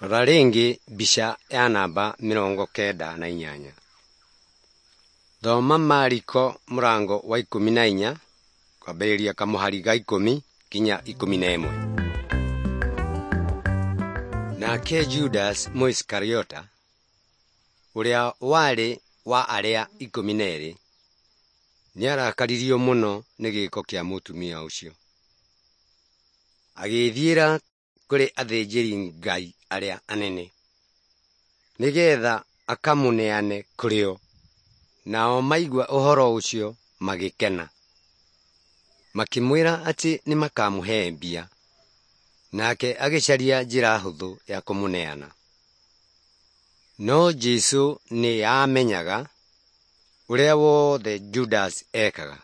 Rora rĩngĩ mbica ya namba 98. Thoma Mariko mũrango wa 14 kwambĩrĩria kamũhari ga 10 nginya 11. Nake Judas Mũisikariota, ũrĩa warĩ wa arĩa 12, nĩarakaririo mũno nĩ gĩĩko kĩa mũtumia ũcio. Agĩĩthiĩra kũrĩ athĩnjĩri-Ngai arĩa anene, nĩgeetha akamũneane kũrĩ o. Nao maigua ũhoro ũcio magĩkena, makĩmwĩra atĩ nĩmakamũhe mbia. Nake agĩcaria njĩra hũthũ ya kũmũneana. No Jesũ nĩamenyaga ũrĩa wothe Judasi ekaga,